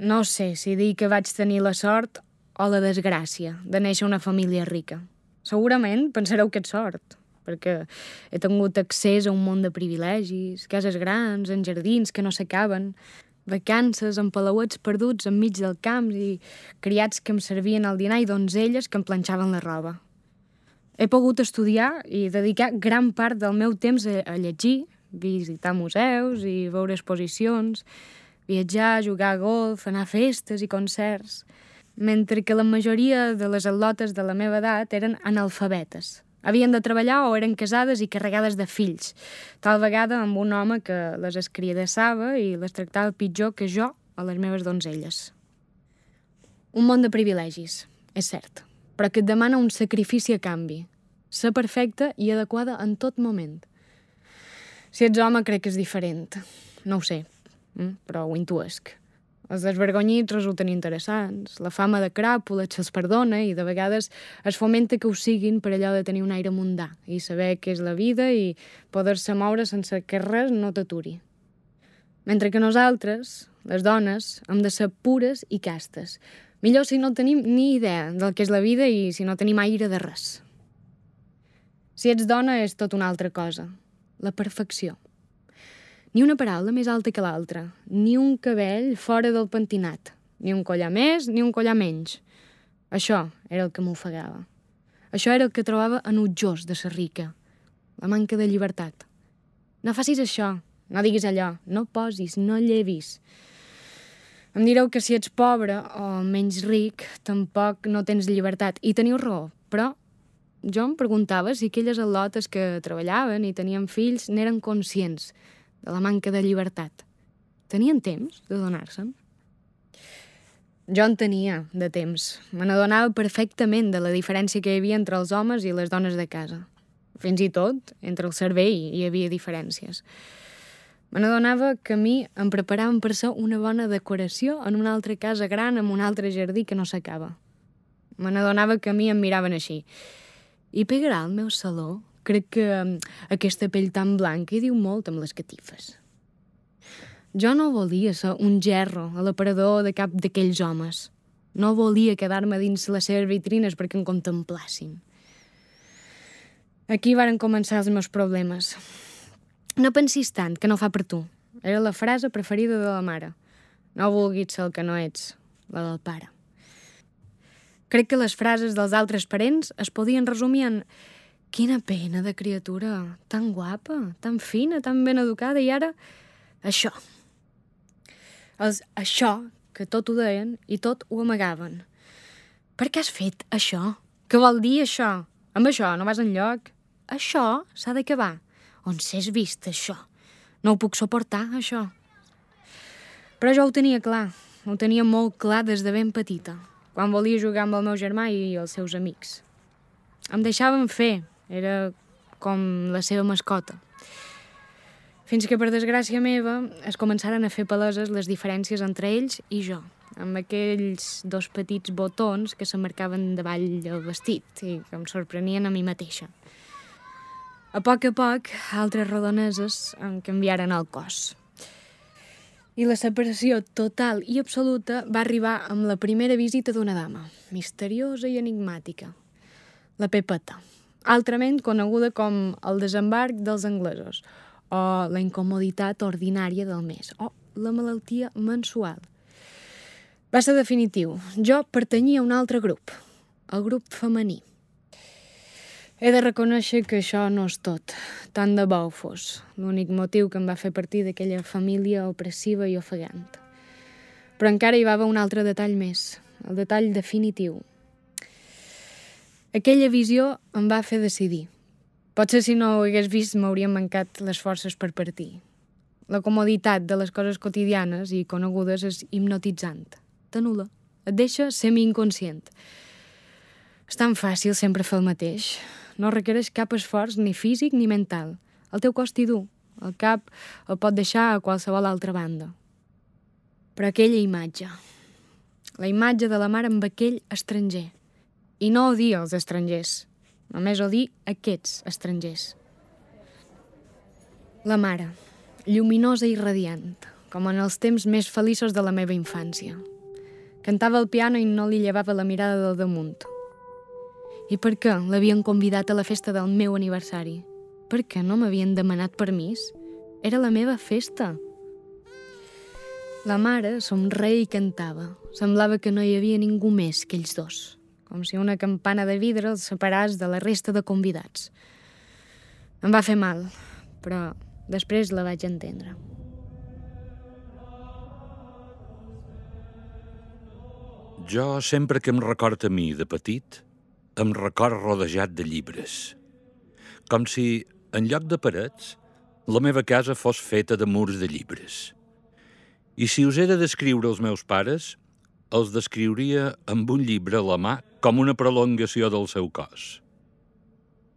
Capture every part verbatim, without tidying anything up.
No sé si dir que vaig tenir la sort o la desgràcia de néixer en una família rica. Segurament pensareu que és sort, perquè he tingut accés a un món de privilegis, cases grans, en jardins que no s'acaben, vacances en palauets perduts enmig del camp i criats que em servien el dinar i donzelles que em planxaven la roba. He pogut estudiar i dedicar gran part del meu temps a, a llegir, visitar museus i veure exposicions, viatjar, jugar a golf, anar a festes i concerts, mentre que la majoria de les atlotes de la meva edat eren analfabetes. Havien de treballar o eren casades i carregades de fills, tal vegada amb un home que les escriadassava i les tractava pitjor que jo a les meves donzelles. Un món de privilegis, és cert, però que et demana un sacrifici a canvi, ser perfecta i adequada en tot moment. Si ets home crec que és diferent, no ho sé, però ho intuesc. Els desvergonyits resulten interessants, la fama de cràpula se'ls perdona i de vegades es fomenta que ho siguin per allò de tenir un aire mundà i saber què és la vida i poder-se moure sense que res no t'aturi. Mentre que nosaltres, les dones, hem de ser pures i castes. Millor si no tenim ni idea del que és la vida i si no tenim aire de res. Si ets dona és tot una altra cosa, la perfecció. Ni una paraula més alta que l'altra, ni un cabell fora del pentinat, ni un collar més ni un collar menys. Això era el que m'ofegava. Això era el que trobava enutjós de ser rica, la manca de llibertat. No facis això, no diguis allò, no posis, no llevis. Em direu que si ets pobre o menys ric, tampoc no tens llibertat. I teniu raó, però jo em preguntava si aquelles al·lotes que treballaven i tenien fills n'eren conscients de la manca de llibertat. Tenien temps de donar-se'n? Jo en tenia, de temps. Me n'adonava perfectament de la diferència que hi havia entre els homes i les dones de casa. Fins i tot, entre el cervell hi havia diferències. Me n'adonava que a mi em preparaven per ser una bona decoració en una altra casa gran amb un altre jardí que no s'acaba. Me n'adonava que a mi em miraven així. I pegarà al meu saló? Crec que aquesta pell tan blanca hi diu molt amb les catifes. Jo no volia ser un gerro a l'aparador de cap d'aquells homes. No volia quedar-me dins les seves vitrines perquè em contemplassin. Aquí varen començar els meus problemes. No pensis tant, que no fa per tu. Era la frase preferida de la mare. No vulguis ser el que no ets, la del pare. Crec que les frases dels altres parents es podien resumir en quina pena de criatura, tan guapa, tan fina, tan ben educada, i ara això. Els això, que tot ho deien i tot ho amagaven. Per què has fet això? Què vol dir això? Amb això no vas enlloc. Això s'ha d'acabar. On s'és vist això? No ho puc suportar, això. Però jo ho tenia clar, ho tenia molt clar des de ben petita, quan volia jugar amb el meu germà i els seus amics. Em deixaven fer, era com la seva mascota. Fins que, per desgràcia meva, es començaren a fer paleses les diferències entre ells i jo, amb aquells dos petits botons que s'emmarcaven davall del vestit i que em sorprenien a mi mateixa. A poc a poc, altres rodoneses em canviaren el cos. I la separació total i absoluta va arribar amb la primera visita d'una dama, misteriosa i enigmàtica, la Pepeta, altrament coneguda com el desembarc dels anglesos, o la incomoditat ordinària del mes, o la malaltia mensual. Va ser definitiu. Jo pertanyia a un altre grup, el grup femení. He de reconèixer que això no és tot, tant de bo ho fos, l'únic motiu que em va fer partir d'aquella família opressiva i ofegant. Però encara hi va haver un altre detall més, el detall definitiu. Aquella visió em va fer decidir. Potser si no ho hagués vist m'haurien mancat les forces per partir. La comoditat de les coses quotidianes i conegudes és hipnotitzant. T'anul·la, et deixa semi-inconscient. És tan fàcil sempre fer el mateix. No requereix cap esforç ni físic ni mental. El teu cos t'hi du. El cap el pot deixar a qualsevol altra banda. Però aquella imatge, la imatge de la mare amb aquell estranger. I no odia els estrangers, només odia aquests estrangers. La mare, lluminosa i radiant, com en els temps més feliços de la meva infància. Cantava al piano i no li llevava la mirada del damunt. I per què l'havien convidat a la festa del meu aniversari? Per què no m'havien demanat permís? Era la meva festa. La mare somreia i cantava. Semblava que no hi havia ningú més que ells dos, com si una campana de vidre els separés de la resta de convidats. Em va fer mal, però després la vaig entendre. Jo, sempre que em record a mi de petit, em record rodejat de llibres. Com si, en lloc de parets, la meva casa fos feta de murs de llibres. I si us he de descriure els meus pares, els descriuria amb un llibre a la mà com una prolongació del seu cos.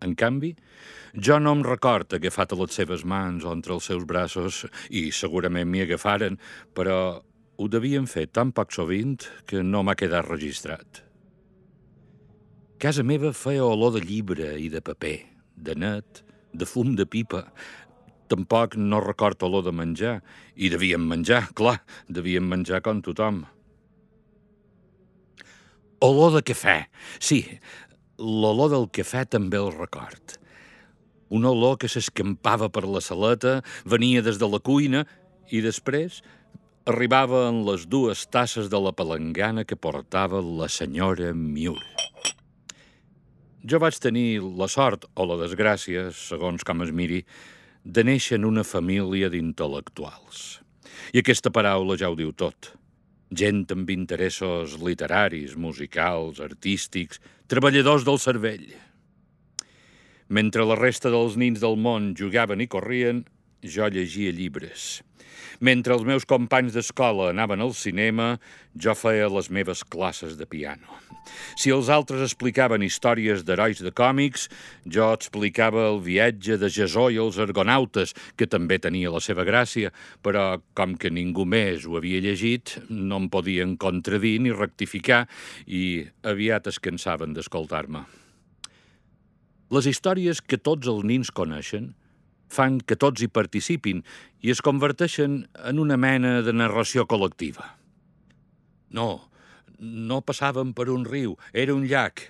En canvi, jo no em record agafat a les seves mans o entre els seus braços, i segurament m'hi agafaren, però ho devien fer tan poc sovint que no m'ha quedat registrat. Casa meva feia olor de llibre i de paper, de net, de fum de pipa. Tampoc no record olor de menjar, i devíem menjar, clar, devíem menjar com tothom. Olor de cafè, sí, l'olor del cafè també el record. Una olor que s'escampava per la saleta, venia des de la cuina i després arribava en les dues tasses de la palangana que portava la senyora Miur. Jo vaig tenir la sort o la desgràcia, segons com es miri, de néixer en una família d'intel·lectuals. I aquesta paraula ja ho diu tot. Gent amb interessos literaris, musicals, artístics, treballadors del cervell. Mentre la resta dels nins del món jugaven i corrien, jo llegia llibres. Mentre els meus companys d'escola anaven al cinema, jo feia les meves classes de piano. Si els altres explicaven històries d'herois de còmics, jo explicava el viatge de Jasó i els argonautes, que també tenia la seva gràcia, però com que ningú més ho havia llegit, no em podien contradir ni rectificar i aviat es cansaven d'escoltar-me. Les històries que tots els nins coneixen fan que tots hi participin i es converteixen en una mena de narració col·lectiva. No, no passàvem per un riu, era un llac.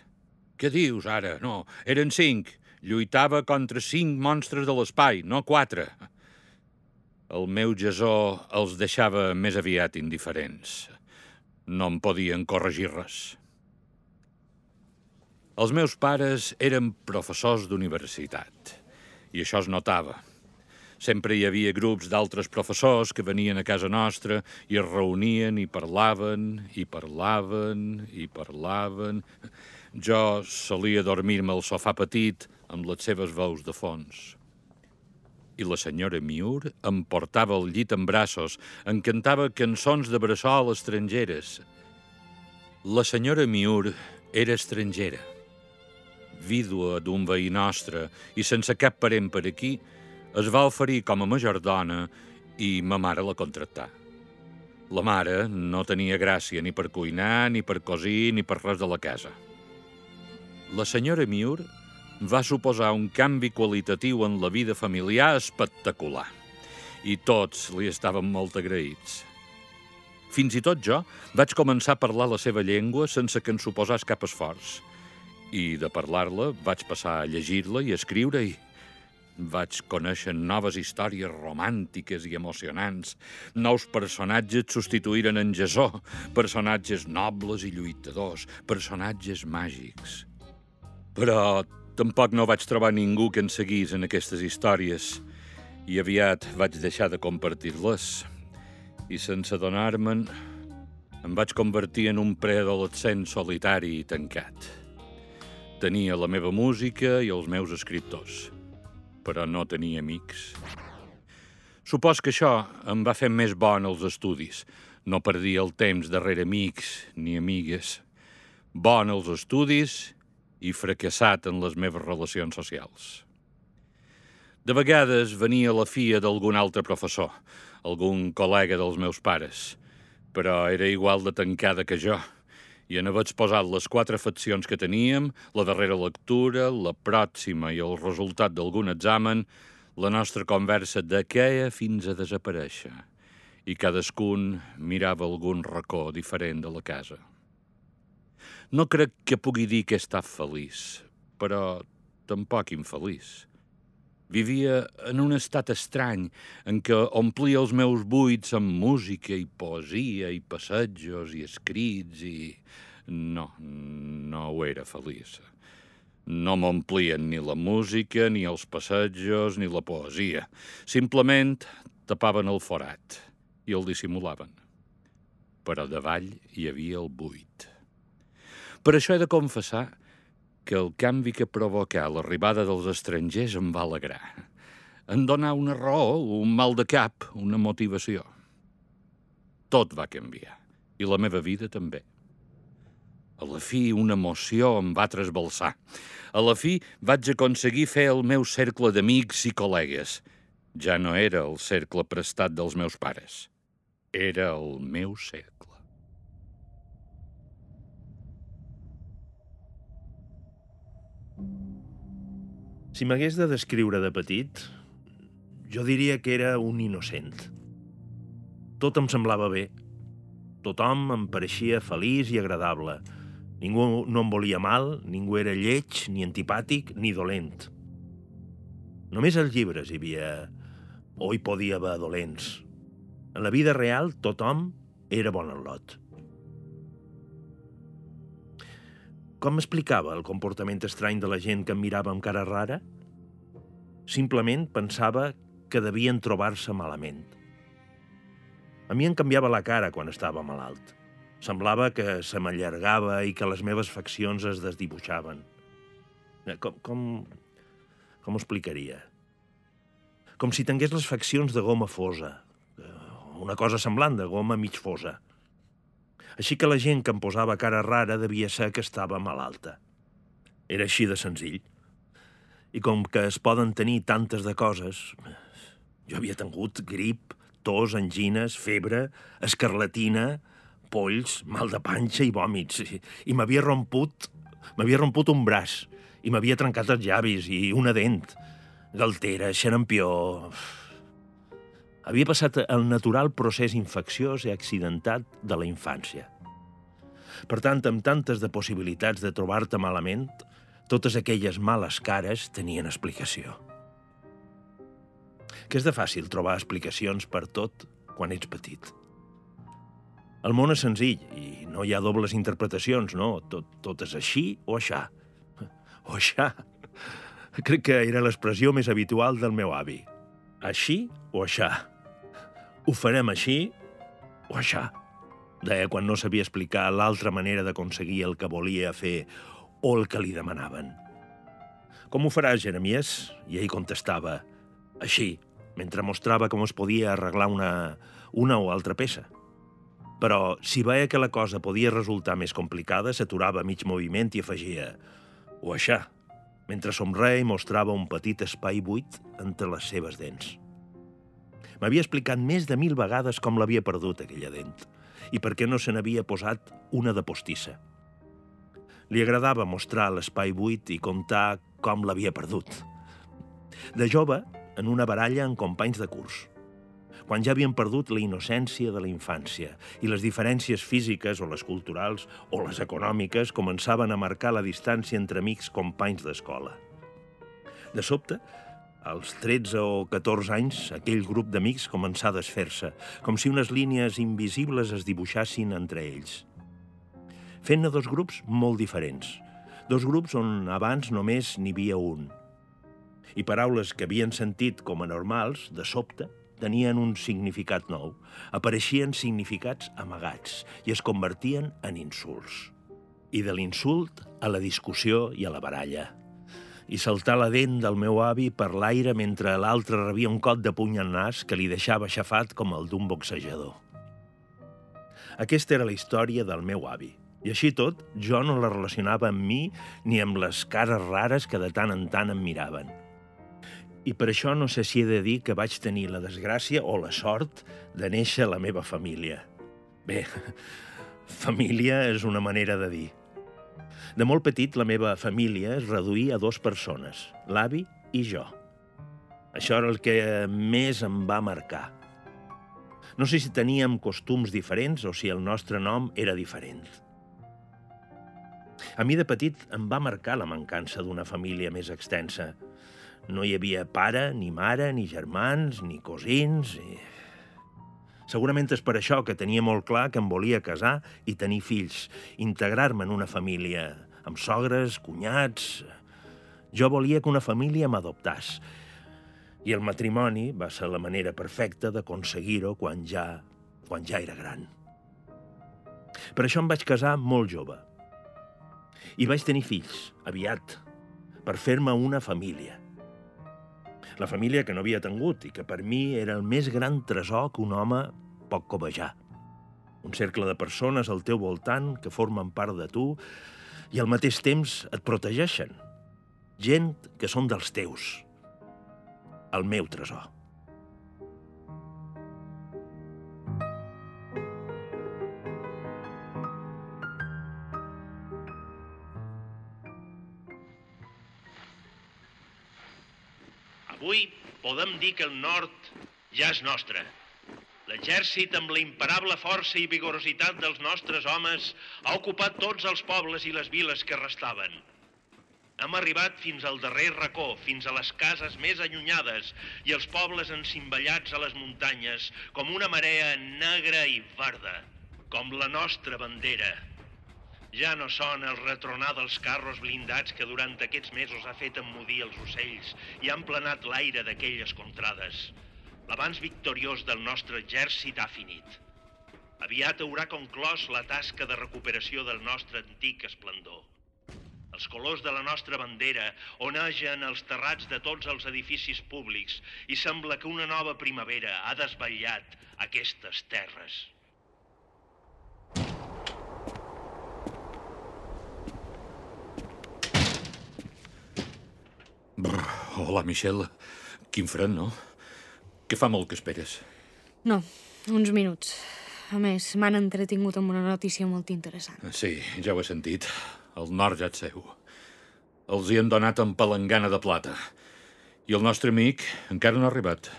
Què dius ara? No, eren cinc. Lluitava contra cinc monstres de l'espai, no quatre. El meu Jasó els deixava més aviat indiferents. No em podien corregir res. Els meus pares eren professors d'universitat. I això es notava. Sempre hi havia grups d'altres professors que venien a casa nostra i es reunien i parlaven, i parlaven, i parlaven. Jo solia dormir-me al sofà petit amb les seves veus de fons. I la senyora Miur em portava al llit en braços, em cantava cançons de bressol estrangeres. La senyora Miur era estrangera, vídua d'un veí nostre i sense cap parent per aquí, es va oferir com a majordona i ma mare la contractà. La mare no tenia gràcia ni per cuinar, ni per cosir, ni per res de la casa. La senyora Miur va suposar un canvi qualitatiu en la vida familiar espectacular i tots li estaven molt agraïts. Fins i tot jo vaig començar a parlar la seva llengua sense que en suposàs cap esforç. I de parlar-la vaig passar a llegir-la i a escriure-hi. Vaig conèixer noves històries romàntiques i emocionants. Nous personatges substituïren en Jasó, personatges nobles i lluitadors, personatges màgics. Però tampoc no vaig trobar ningú que en seguís en aquestes històries i aviat vaig deixar de compartir-les. I sense adonar-me'n, em vaig convertir en un preadolescent solitari i tancat. Tenia la meva música i els meus escriptors, però no tenia amics. Supos que això em va fer més bo en els estudis. No perdia el temps darrere amics ni amigues. Bo en els estudis i fracassat en les meves relacions socials. De vegades venia la filla d'algun altre professor, algun col·lega dels meus pares, però era igual de tancada que jo. I en haver exposat les quatre faccions que teníem, la darrera lectura, la pròxima i el resultat d'algun examen, la nostra conversa dequeia fins a desaparèixer. i cadascun mirava algun racó diferent de la casa. No crec que pugui dir que he estat feliç, però tampoc infeliç. Vivia en un estat estrany en què omplia els meus buits amb música i poesia i passejos i escrits i... No, no ho era feliç. No m'omplien ni la música, ni els passejos, ni la poesia. Simplement tapaven el forat i el dissimulaven. Però davall hi havia el buit. Per això he de confessar que el canvi que provocà l'arribada dels estrangers em va alegrar. Em donà una raó, un mal de cap, una motivació. Tot va canviar, i la meva vida també. A la fi, una emoció em va trasbalsar. A la fi, vaig aconseguir fer el meu cercle d'amics i col·legues. Ja no era el cercle prestat dels meus pares. Era el meu cercle. Si m'hagués de descriure de petit, jo diria que era un innocent. Tot em semblava bé. Tothom em pareixia feliç i agradable. Ningú no em volia mal, ningú era lleig, ni antipàtic, ni dolent. Només als llibres hi havia... o hi podia haver dolents. En la vida real, tothom era bon en lot. Com m'explicava el comportament estrany de la gent que em mirava amb cara rara? Simplement pensava que devien trobar-se malament. A mi em canviava la cara quan estava malalt. Semblava que se m'allargava i que les meves faccions es desdibuixaven. Com, com, com ho explicaria? Com si tingués les faccions de goma fosa. Una cosa semblant de goma mig fosa. Així que la gent que em posava cara rara devia ser que estava malalta. Era així de senzill. I com que es poden tenir tantes de coses, jo havia tingut grip, tos, angines, febre, escarlatina, polls, mal de panxa i vòmits. I, i m'havia romput, m'havia romput un braç, i m'havia trencat els llavis i una dent. Galtera, xarampió... Havia passat el natural procés infecciós i accidentat de la infància. Per tant, amb tantes de possibilitats de trobar-te malament, totes aquelles males cares tenien explicació. Que és de fàcil trobar explicacions per tot quan ets petit. El món és senzill i no hi ha dobles interpretacions, no? Tot, tot és així o aixà. O aixà. Crec que era l'expressió més habitual del meu avi. Així o aixà. Ho farem així o aixà. Deia quan no sabia explicar l'altra manera d'aconseguir el que volia fer o el que li demanaven. Com ho faràs, Jeremies? I ell contestava, així, mentre mostrava com es podia arreglar una, una o altra peça. Però si veia que la cosa podia resultar més complicada, s'aturava a mig moviment i afegia, o aixà, mentre somreia i mostrava un petit espai buit entre les seves dents. M'havia explicat més de mil vegades com l'havia perdut, aquella dent, i per què no se n'havia posat una de postissa. Li agradava mostrar l'espai buit i contar com l'havia perdut. De jove, en una baralla amb companys de curs, quan ja havien perdut la innocència de la infància i les diferències físiques o les culturals o les econòmiques començaven a marcar la distància entre amics companys d'escola. De sobte, als tretze o catorze anys, aquell grup d'amics començà a desfer-se, com si unes línies invisibles es dibuixassin entre ells. Fent-ne dos grups molt diferents, dos grups on abans només n'hi havia un. I paraules que havien sentit com a normals, de sobte, tenien un significat nou, apareixien significats amagats i es convertien en insults. I de l'insult a la discussió i a la baralla. I saltar la dent del meu avi per l'aire mentre l'altre rebia un cop de puny al nas que li deixava aixafat com el d'un boxejador. Aquesta era la història del meu avi. I així tot, jo no la relacionava amb mi ni amb les cares rares que de tant en tant em miraven. I per això no sé si he de dir que vaig tenir la desgràcia o la sort de néixer a la meva família. Bé, família és una manera de dir. De molt petit, la meva família es reduïa a dues persones, l'avi i jo. Això era el que més em va marcar. No sé si teníem costums diferents o si el nostre nom era diferent. A mi de petit em va marcar la mancança d'una família més extensa. No hi havia pare, ni mare, ni germans, ni cosins... I... Segurament és per això que tenia molt clar que em volia casar i tenir fills, integrar-me en una família, amb sogres, cunyats... Jo volia que una família m'adoptàs. I el matrimoni va ser la manera perfecta d'aconseguir-ho quan ja, quan ja era gran. Per això em vaig casar molt jove. I vaig tenir fills, aviat, per fer-me una família. La família que no havia tingut i que per mi era el més gran tresor que un home pot cobejar. Un cercle de persones al teu voltant que formen part de tu i al mateix temps et protegeixen. Gent que són dels teus. El meu tresor. Avui podem dir que el nord ja és nostre. L'exèrcit, amb la imparable força i vigorositat dels nostres homes, ha ocupat tots els pobles i les viles que restaven. Hem arribat fins al darrer racó, fins a les cases més allunyades i els pobles encimbellats a les muntanyes, com una marea negra i verda, com la nostra bandera. Ja no sona el retronar dels carros blindats que durant aquests mesos ha fet emmudir els ocells i han planat l'aire d'aquelles contrades. L'avanç victoriós del nostre exèrcit ha finit. Aviat haurà conclòs la tasca de recuperació del nostre antic esplendor. Els colors de la nostra bandera onegen els terrats de tots els edificis públics i sembla que una nova primavera ha desvetllat aquestes terres. Brr, hola, Michel. Quin fred, no? Que fa molt que esperes. No, uns minuts. A més, m'han entretingut amb una notícia molt interessant. Sí, ja ho he sentit. El nord ja et seu. Els hi han donat en palangana de plata. I el nostre amic encara no ha arribat.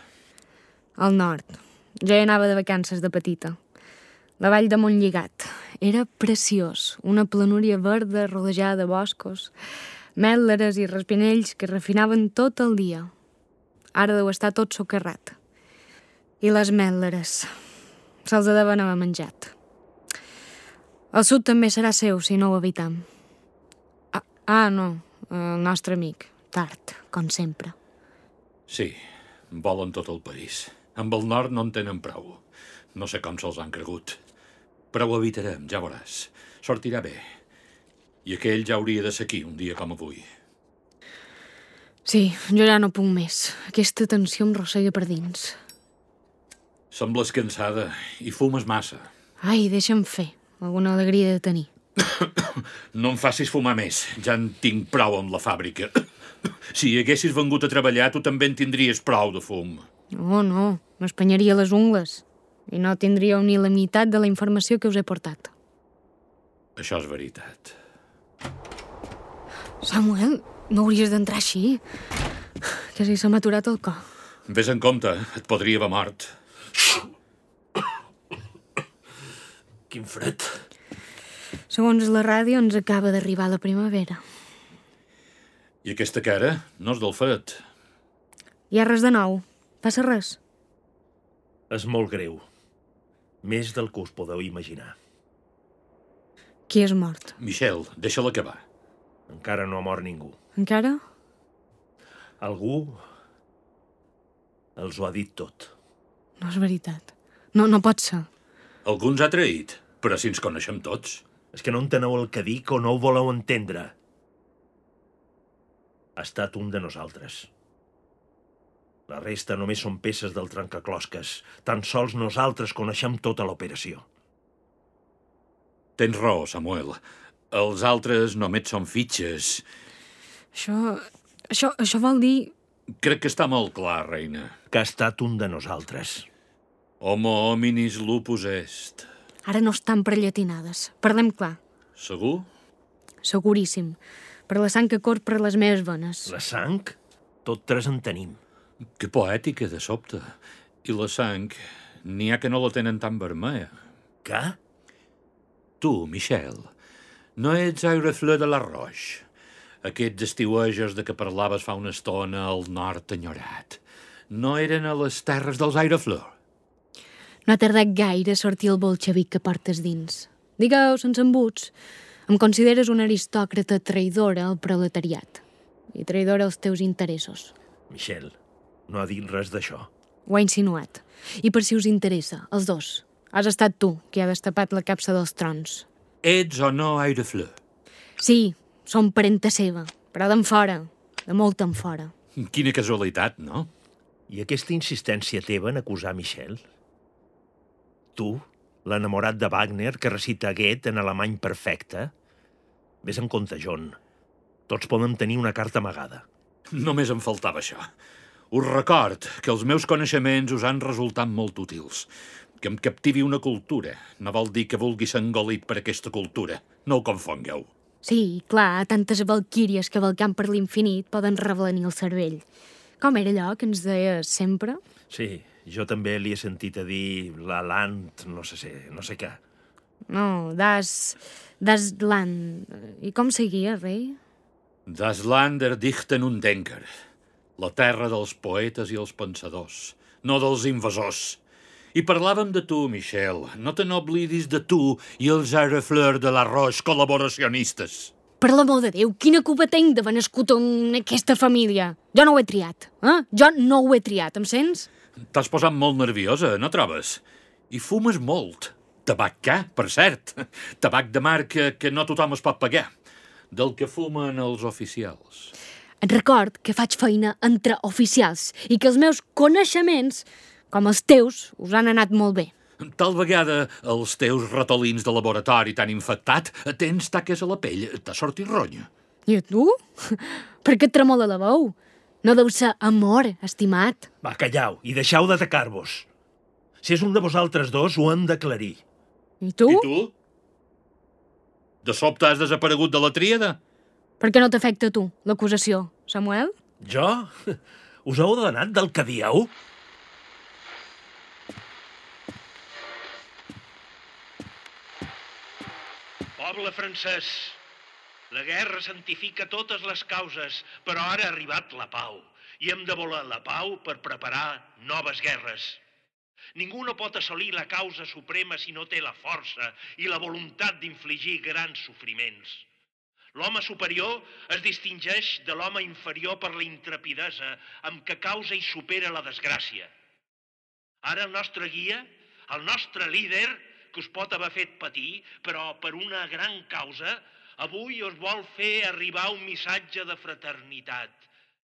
Al nord. Ja hi anava de vacances de petita. La vall de Montlligat. Era preciós. Una planúria verda rodejada de boscos, mètleres i respinells que refinaven tot el dia. Ara deu estar tot socarrat. I les mètleres. Se'ls deuen haver menjat. El sud també serà seu, si no ho evitem. Ah, ah, no. El nostre amic. Tard, com sempre. Sí, volen tot el país. Amb el nord no en tenen prou. No sé com se'ls han cregut. Però ho evitarem, ja veuràs. Sortirà bé. I aquell ja hauria de ser aquí, un dia com avui. Sí, jo ja no puc més. Aquesta tensió em rossega per dins. Sembles cansada i fumes massa. Ai, deixa'm fer. Alguna alegria de tenir. No em facis fumar més. Ja en tinc prou amb la fàbrica. Si haguessis vengut a treballar, tu també en tindries prou de fum. No, no. M'espanyaria les ungles. I no tindríeu ni la meitat de la informació que us he portat. Això és veritat. Samuel, no hauries d'entrar així. Quasi se m'ha aturat el cor. Ves en compte, et podria haver mort. Quin fred. Segons la ràdio, ens acaba d'arribar la primavera. I aquesta cara no és del fred. Hi ha res de nou. Passa res. És molt greu. Més del que us podeu imaginar. Qui és mort? Michel, deixa-la acabar. Encara no ha mort ningú. Encara? Algú els ho ha dit tot. No és veritat. No, no pot ser. Algú ens ha traït, però si ens coneixem tots. És que no enteneu el que dic o no ho voleu entendre. Ha estat un de nosaltres. La resta només són peces del trencaclosques. Tan sols nosaltres coneixem tota l'operació. Tens raó, Samuel. Els altres només són fitxes. Això... Això, això vol dir... Crec que està molt clar, reina. Que ha estat un de nosaltres. Homo hominis lupus est. Ara no estan per llatinades. Parlem clar. Segur? Seguríssim. Per la sang que corre per les meves venes. La sang? Tot tres en tenim. Que poètica, de sobte. I la sang n'hi ha que no la tenen tan vermella. Què? Tu, Michel, no ets Airefleur de la Roche, aquests estiuejos de què parlaves fa una estona al nord enyorat. No eren a les terres dels Airefleur? No ha tardat gaire a sortir el bolxevic que portes dins. Digueu, sense embuts, em consideres una aristòcrata traïdora al proletariat i traïdora als teus interessos. Michel, no ha dit res d'això. Ho ha insinuat. I per si us interessa, els dos, has estat tu qui ha destapat la capsa dels trons. Ets o no Airefleur? Sí, som parenta seva, però d'en fora, de molt en fora. Quina casualitat, no? I aquesta insistència teva en acusar Michel? Tu, l'enamorat de Wagner que recita Goethe en alemany perfecte? Ves en compte, John. Tots podem tenir una carta amagada. Només em faltava això. Us record que els meus coneixements us han resultat molt útils. Que em captivi una cultura no vol dir que vulgui ser engolit per aquesta cultura. No ho confongueu. Sí, clar, tantes valquíries que valcant per l'infinit poden reblenir el cervell. Com era allò que ens deies sempre? Sí, jo també li he sentit a dir la Land, no sé, sé no sé què. No, das... das Land. I com seguia, rei? Das Land der Dichten und Denker. La terra dels poetes i els pensadors, no dels invasors. I parlàvem de tu, Michel. No te n'oblidis de tu i els Airefleur de la Roche col·laboracionistes. Per l'amor de Déu, quina culpa tinc d'haver nascut en aquesta família? Jo no ho he triat, eh? Jo no ho he triat, em sents? T'has posat molt nerviosa, no trobes? I fumes molt. Tabac què, per cert? Tabac de marca que no tothom es pot pagar. Del que fumen els oficials. Et record que faig feina entre oficials i que els meus coneixements, com els teus, us han anat molt bé. Tal vegada els teus ratolins de laboratori t'han infectat, tens taques a la pell, t'ha sortit ronya. I a tu? Per què et tremola la veu? No deu ser amor, estimat. Va, callau i deixeu d'atacar-vos. Si és un de vosaltres dos, ho hem d'aclarir. I tu? I tu? De sobte has desaparegut de la tríada? Per què no t'afecta a tu, l'acusació, Samuel? Jo? Us heu adonat del que dieu? Poble francès, la guerra santifica totes les causes, però ara ha arribat la pau, i hem de voler la pau per preparar noves guerres. Ningú no pot assolir la causa suprema si no té la força i la voluntat d'infligir grans sofriments. L'home superior es distingeix de l'home inferior per la intrepidesa amb què causa i supera la desgràcia. Ara el nostre guia, el nostre líder, que us pot haver fet patir, però per una gran causa, avui us vol fer arribar un missatge de fraternitat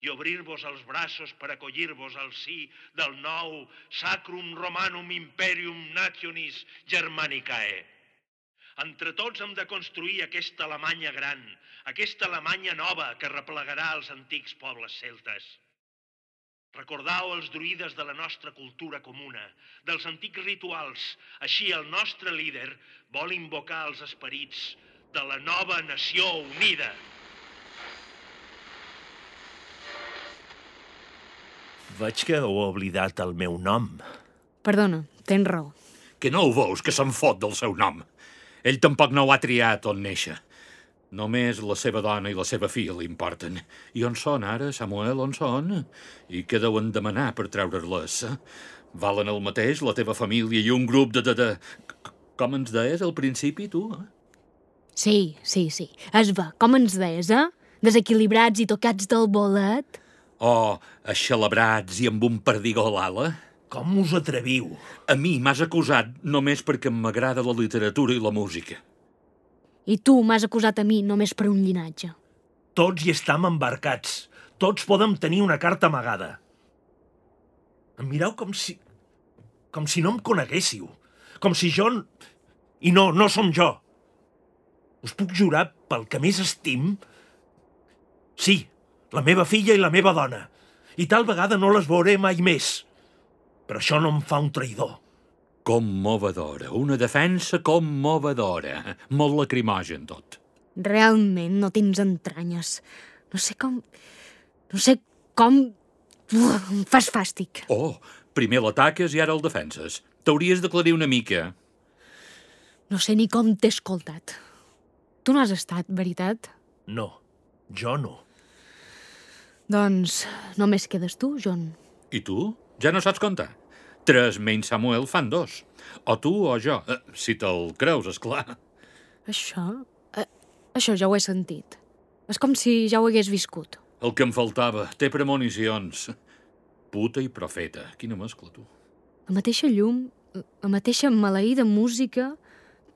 i obrir-vos els braços per acollir-vos al si del nou Sacrum Romanum Imperium Nationis Germanicae. Entre tots hem de construir aquesta Alemanya gran, aquesta Alemanya nova que replegarà els antics pobles celtes. Recordau els druides de la nostra cultura comuna, dels antics rituals. Així el nostre líder vol invocar els esperits de la nova nació unida. Veig que heu oblidat el meu nom. Perdona, tens raó. Que no ho veus, que se'n fot del seu nom. Ell tampoc no ho ha triat on néixer. Només la seva dona i la seva filla li importen. I on són ara, Samuel, on són? I què deuen demanar per treure-les? Valen el mateix la teva família i un grup de... de, de... Com ens deies al principi, tu? Eh? Sí, sí, sí. Es va, com ens deies, eh? Desequilibrats i tocats del bolet. O aixelebrats i amb un perdigó a l'ala? Com us atreviu? A mi m'has acusat només perquè m'agrada la literatura i la música. I tu m'has acusat a mi només per un llinatge. Tots hi estam embarcats. Tots podem tenir una carta amagada. Em mireu com si... com si no em coneguéssiu. Com si jo... I no, no som jo. Us puc jurar pel que més estim... Sí, la meva filla i la meva dona. I tal vegada no les veuré mai més. Però això no em fa un traïdor. Commovedora, una defensa commovedora. Molt lacrimogen, tot. Realment no tens entranyes. No sé com... No sé com... Uf, em fas fàstic. Oh, primer l'ataques i ara el defenses. T'hauries d'aclarir una mica. No sé ni com t'he escoltat. Tu no has estat, veritat? No, jo no. Doncs només quedes tu, John. I tu? Ja no saps comptar? Tres menys Samuel fan dos. O tu o jo. Eh, si te'l creus, esclar. Això... Eh, això ja ho he sentit. És com si ja ho hagués viscut. El que em faltava. Té premonicions. Puta i profeta. Quina mescla, tu. La mateixa llum, la mateixa maleïda música,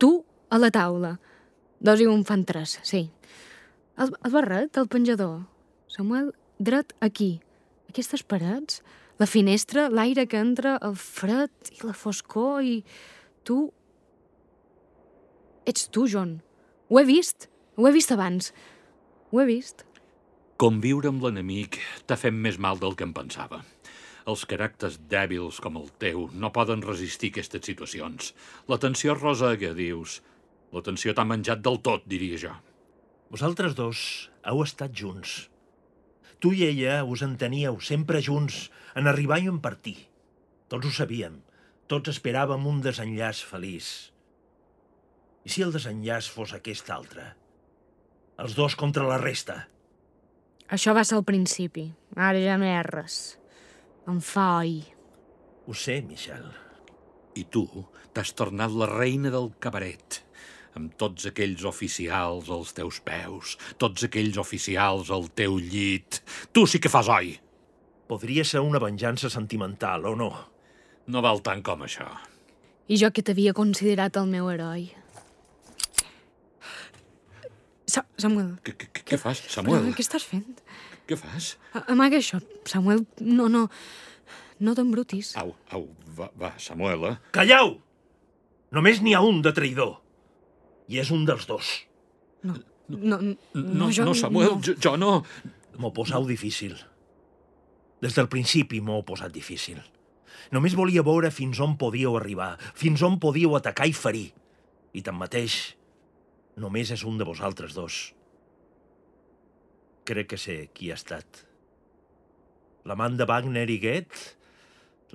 tu a la taula. Dos i un fan tres, sí. El, el barret, el penjador. Samuel, dret aquí. Aquestes parets, la finestra, l'aire que entra, el fred i la foscor i... Tu... Ets tu, John. Ho he vist. Ho he vist abans. Ho he vist. Conviure amb l'enemic t'ha fet més mal del que em pensava. Els caràcters dèbils com el teu no poden resistir aquestes situacions. La tensió rosega, dius. La tensió t'ha menjat del tot, diria jo. Vosaltres dos heu estat junts. Tu i ella us enteníeu sempre junts en arribar i en partir. Tots ho sabíem. Tots esperàvem un desenllaç feliç. I si el desenllaç fos aquest altre? Els dos contra la resta. Això va ser al principi. Ara ja no hi ha res. Em fa oi. Ho sé, Michel. I tu t'has tornat la reina del cabaret, amb tots aquells oficials als teus peus, tots aquells oficials al teu llit. Tu sí que fas oi. Podria ser una venjança sentimental, o no? No val tant com això. I jo que t'havia considerat el meu heroi. Sa Samuel. Què, què, què fas, Samuel? Però, què estàs fent? Què fas? A Amaga això, Samuel. No, no. No t'embrutis. Au, au, va, va, Samuel, eh? Calleu! Només n'hi ha un de traïdor. I és un dels dos. No, no, no, No, jo, no Samuel, no. jo, jo no. M'ho posau difícil. Des del principi m'ho he posat difícil. Només volia veure fins on podíeu arribar, fins on podíeu atacar i ferir. I tanmateix, només és un de vosaltres dos. Crec que sé qui ha estat. L'amant de Wagner i Goethe?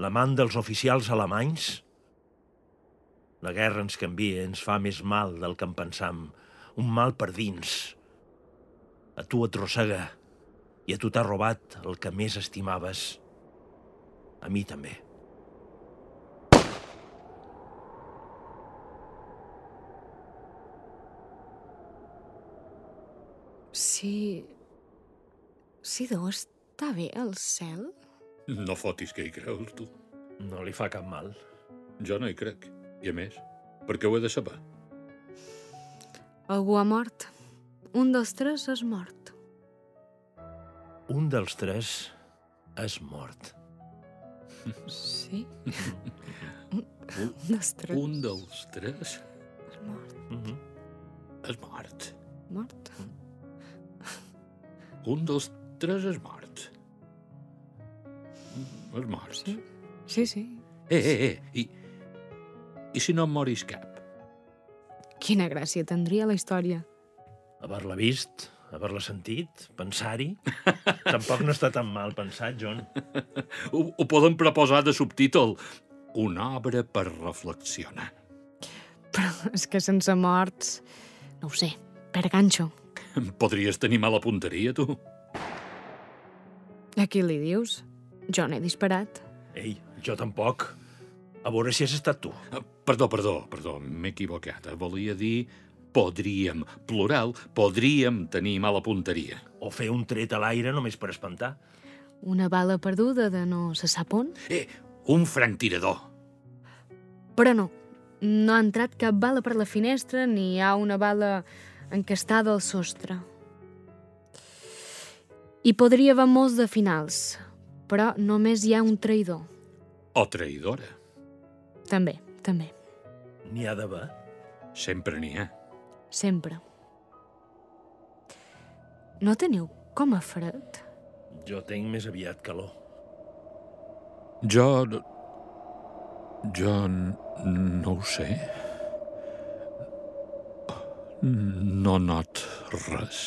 L'amant dels oficials alemanys? La guerra ens canvia, ens fa més mal del que en pensam. Un mal per dins. A tu et rossega i a tu t'ha robat el que més estimaves. A mi també. Si... Si deu estar bé al cel? No fotis que hi creus, tu. No li fa cap mal. Jo no hi crec. I a més, per què ho he de saber? Algú ha mort. Un dels tres és mort. Un dels tres és mort. Sí? un, un dels tres Un dels tres és mort. Mm-hmm. és mort. Mort? Un dels tres és mort. És mort. Sí, sí. sí. Eh, eh, eh, i, i si no em moris cap? Quina gràcia tindria la història. Haver-la vist, haver-la sentit, pensar-hi... Tampoc no està tan mal pensat, John. Ho, ho poden proposar de subtítol. Una obra per reflexionar. Però és que sense morts... No ho sé, per ganxo. Podries tenir mala punteria, tu? A qui li dius? Jo n'he disparat. Ei, jo tampoc. A veure si has estat tu. Ah, Perdó, perdó, perdó, m'he equivocat. Volia dir podríem, plural, podríem tenir mala punteria. O fer un tret a l'aire només per espantar. Una bala perduda de no se sap on. Eh, un franctirador. Però no, no ha entrat cap bala per la finestra ni hi ha una bala encastada al sostre. Hi podria haver molts de finals, però només hi ha un traïdor. O traïdora. També, també, N'hi ha d'haver. Sempre n'hi ha. sempre. No teniu com a fred? Jo tinc més aviat calor. Jo... Jo no ho sé. No not res.